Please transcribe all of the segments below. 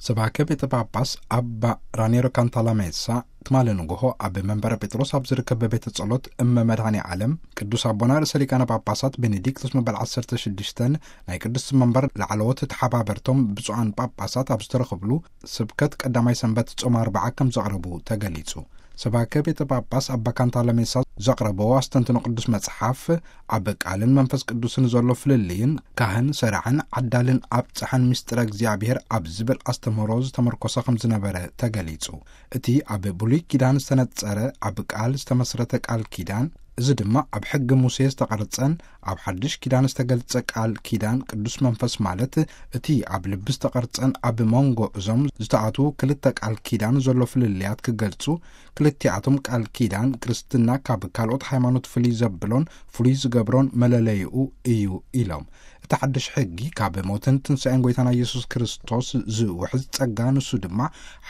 ሰባኬ ቤተ ጳጳስ ኣባ ራኔሮ ካንታላሜሳ ትማሊ ንግሆ ኣብ መንበረ ጴጥሮስ ኣብ ዝርከብ ቤተ ጸሎት እመ መድኃኔ ዓለም ቅዱስ ኣቦና ርእሰ ሊቃነ ጳጳሳት ቤኔዲክቶስ መበል ዓሰርተ ሽዱሽተ ናይ ቅዱስ መንበር ላዕለዎት ተሓባበርቶም ብፁዓን ጳጳሳት ኣብ ዝተረኽብሉ ስብከት ቀዳማይ ሰንበት ጾም ኣርብዓ ከም ዘቕረቡ ተገሊጹ። ሰባኬ ቤተ ጳጳስ ኣባ ካንታላሜሳ ዘቕረበዎ ኣስተንትኖ ቅዱስ መጽሓፍ ኣብ ቃልን መንፈስ ቅዱስን ዘሎ ፍልልይን ካህን ሰራዕን ዓዳልን ኣብጽሐን ምስጢረ እግዚኣብሔር ኣብ ዝብል ኣስተምህሮ ዝተመርኮሰ ከም ዝነበረ ተገሊጹ። እቲ ኣብ ብሉይ ኪዳን ዝተነጸረ ኣብ ቃል ዝተመስረተ ቃል ኪዳን፣ እዚ ድማ ኣብ ሕጊ ሙሴ ዝተቐርጸን ኣብ ሓድሽ ኪዳን ዝተገልጸ ቃል ኪዳን ቅዱስ መንፈስ ማለት እቲ ኣብ ልቢ ዝተቐርጸን ኣብ መንጎ እዞም ዝተኣትዉ ክልተ ቃል ኪዳን ዘሎ ፍልልያት ክገልጹ፣ ክልቲኣቶም ቃል ኪዳን ክርስትና ካብ ካልኦት ሃይማኖት ፍልይ ዘብሎን ፍሉይ ዝገብሮን መለለይኡ እዩ ኢሎም። እቲ ሓድሽ ሕጊ ካብ ሞትን ትንሳኤን ጎይታና ኢየሱስ ክርስቶስ ዝውሕዝ ጸጋ፣ ንሱ ድማ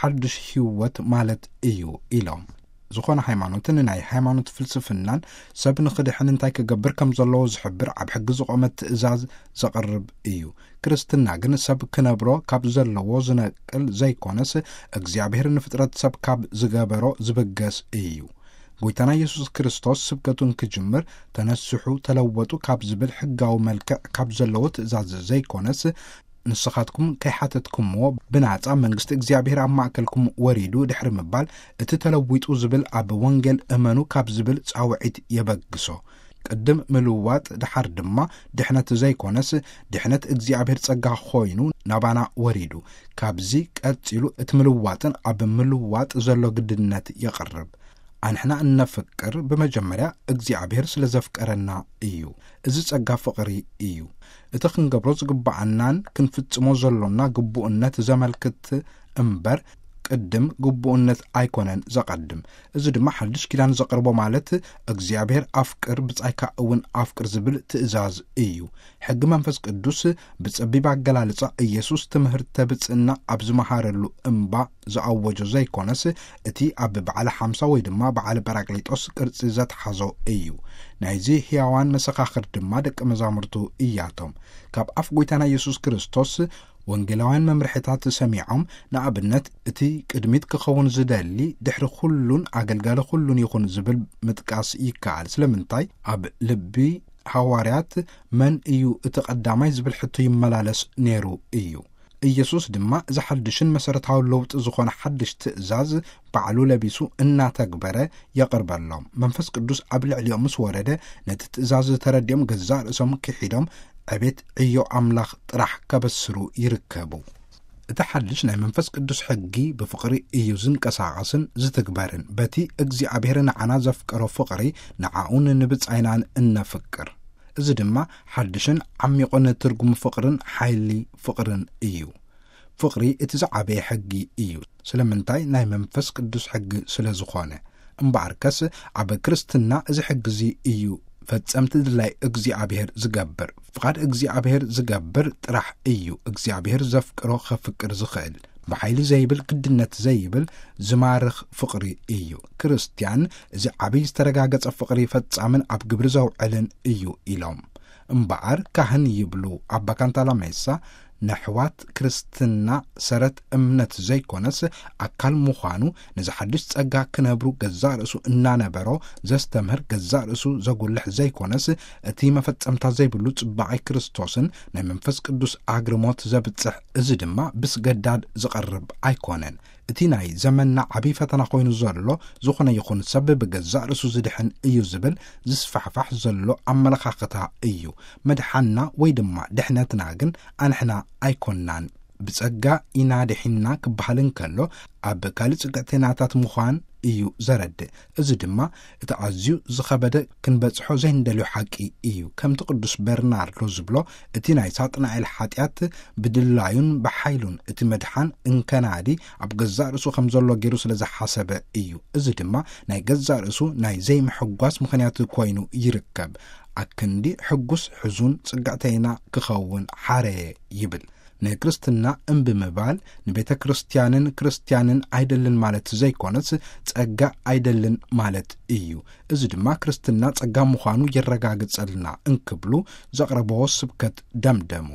ሓድሽ ህይወት ማለት እዩ ኢሎም። ዝኾነ ሃይማኖትን ናይ ሃይማኖት ፍልስፍናን ሰብ ንኽድሕን እንታይ ክገብር ከም ዘለዎ ዝሕብር ኣብ ሕጊ ዝቖመ ትእዛዝ ዘቕርብ እዩ። ክርስትና ግን ሰብ ክነብሮ ካብ ዘለዎ ዝነቅል ዘይኮነስ፣ እግዚኣብሔር ንፍጥረት ሰብ ካብ ዝገበሮ ዝብገስ እዩ። ጎይታና ኢየሱስ ክርስቶስ ስብከቱ እንክጅምር፣ "ተነስሑ፣ ተለወጡ" ካብ ዝብል ሕጋዊ መልክዕ ካብ ዘለዎ ትእዛዝ ዘይኮነስ፣ "ንስኻትኩም ከይሓተትኩምዎ ብናጻ መንግስቲ እግዚኣብሔር ኣብ ማእከልኩም ወሪዱ" ድሕሪ ምባል፣ እቲ "ተለዊጡ" ዝብል ኣብ ወንጌል እመኑ ካብ ዝብል ጻውዒት የበግሶ። ቅድም ምልዋጥ፣ ደሓር ድማ ድሕነት ዘይኮነስ፣ ድሕነት እግዚኣብሔር ጸጋ ኮይኑ ናባና ወሪዱ። ካብዚ ቀጺሉ እቲ ምልዋጥን ኣብ ምልዋጥ ዘሎ ግድነት የቕርብ። ኣንሕና እነፍቅር ብመጀመርያ እግዚኣብሔር ስለ ዘፍቀረና እዩ። እዚ ጸጋ ፍቕሪ እዩ። እቲ ክንገብሮ ዝግብኣናን ክንፍጽሞ ዘሎና ግቡእነት ዘመልክት እምበር፣ ቅድም ግቡእነት ኣይኮነን ዘቐድም። እዚ ድማ ሓድሽ ኪዳን ዘቕርቦ ማለት፣ "እግዚኣብሔር ኣፍቅር፣ ብጻይካ እውን ኣፍቅር" ዝብል ትእዛዝ እዩ። ሕጊ መንፈስ ቅዱስ ብጸቢብ ኣገላልጻ ኢየሱስ ትምህርተ ብጽእና ኣብ ዝመሃረሉ እምባ ዝኣወጆ ዘይኮነስ፣ እቲ ኣብ በዓለ ሓምሳ ወይ ድማ በዓለ ጳራቅሊጦስ ቅርጺ ዘትሓዞ እዩ። ናይዚ ሕያዋን መሰኻኽር ድማ ደቀ መዛሙርቱ እያቶም። ካብ ኣፍ ጎይታና ኢየሱስ ክርስቶስ ወንጌላውያን መምርሒታት ሰሚዖም፣ ንኣብነት፣ "እቲ ቅድሚት ክኸውን ዝደሊ ድሕሪ ኩሉን ኣገልጋሊ ኩሉን ይኹን" ዝብል ምጥቃስ ይከኣል። ስለምንታይ? ኣብ ልቢ ሃዋርያት "መን እዩ እቲ ቀዳማይ?" ዝብል ሕቶ ይመላለስ ነይሩ እዩ። ኢየሱስ ድማ እዚ ሓድሽን መሰረታዊ ለውጢ ዝኾነ ሓድሽ ትእዛዝ ባዕሉ ለቢሱ እናተግበረ የቕርበሎም። መንፈስ ቅዱስ ኣብ ልዕሊኦም ምስ ወረደ፣ ነቲ ትእዛዝ ተረዲኦም ገዛእ ርእሶም ክሒዶም ዕቤት ዕዮ ኣምላኽ ጥራሕ ከበስሩ ይርከቡ። እቲ ሓድሽ ናይ መንፈስ ቅዱስ ሕጊ ብፍቕሪ እዩ ዝንቀሳቐስን ዝትግበርን። በቲ እግዚኣብሔር ንዓና ዘፍቀሮ ፍቕሪ ንዓኡን ንብጻይናን እነፍቅር። እዚ ድማ ሓድሽን ዓሚቑን ትርጉም ፍቕርን ሓይሊ ፍቕርን እዩ። ፍቕሪ እቲ ዝዓበየ ሕጊ እዩ። ስለምንታይ? ናይ መንፈስ ቅዱስ ሕጊ ስለ ዝኾነ። እምበኣርከስ ኣብ ክርስትና እዚ ሕጊ እዚ እዩ ፈጸምቲ ድላይ እግዚኣብሔር ዝገብር። ፍቓድ እግዚኣብሔር ዝገብር ጥራሕ እዩ እግዚኣብሔር ዘፍቅሮ ኸፍቅር ዝኽእል። ብሓይሊ ዘይብል፣ ግድነት ዘይብል፣ ዝማርኽ ፍቕሪ እዩ። ክርስትያን እዚ ዓብዪ ዝተረጋገጸ ፍቕሪ ፈጻምን ኣብ ግብሪ ዘውዕልን እዩ ኢሎም። እምበኣር ካህን ይብሉ ኣባ ካንታላሜሳ፣ ነሕዋት ክርስትና ሰረት እምነት ዘይኮነስ ኣካል ምዃኑ፣ ነዚ ሓድሽ ጸጋ ክነብሩ ገዛእ ርእሱ እናነበሮ ዘስተምህር፣ ገዛእ ርእሱ ዘጉልሕ ዘይኮነስ፣ እቲ መፈጸምታ ዘይብሉ ጽባቐ ክርስቶስን ናይ መንፈስ ቅዱስ ኣግርሞት ዘብጽሕ፣ እዚ ድማ ብስገዳድ ዝቐርብ ኣይኮነን። እቲ ናይ ዘመንና ዓብዪ ፈተና ኮይኑ ዘሎ፣ ዝኾነ ይኹን ሰብ ብገዛእ ርእሱ ዝድሕን እዩ ዝብል ዝስፋሕፋሕ ዘሎ ኣመለኻኽታ እዩ። መድሓንና ወይ ድማ ድሕነትና ግን ኣንሕና ኣይኮንናን። ብጸጋ ኢና ድሒንና ክበሃል እንከሎ፣ ኣብ ካልእ ጽግዕተይናታት ምዃን እዩ ዘረድእ። እዚ ድማ እቲ ኣዝዩ ዝኸበደ ክንበጽሖ ዘይንደልዮ ሓቂ እዩ። ከምቲ ቅዱስ በርናርዶ ዝብሎ፣ እቲ ናይ ሳጥናኤል ሓጢኣት ብድላዩን ብሓይሉን እቲ መድሓን እንከናዲ ኣብ ገዛእ ርእሱ ከም ዘሎ ገይሩ ስለ ዝሓሰበ እዩ። እዚ ድማ ናይ ገዛእ ርእሱ ናይ ዘይምሕጓስ ምኽንያት ኮይኑ ይርከብ። ኣክንዲ ሕጉስ ሕዙን ጽግዕተይና ክኸውን ሓረየ ይብል። ንክርስትና እምቢ ምባል ንቤተ ክርስቲያንን ክርስቲያንን ኣይደልን ማለት ዘይኮነስ፣ ጸጋ ኣይደልን ማለት እዩ። እዚ ድማ ክርስትና ጸጋ ምዃኑ የረጋግጸልና እንክብሉ ዘቕረብዎ ስብከት ደምደሙ።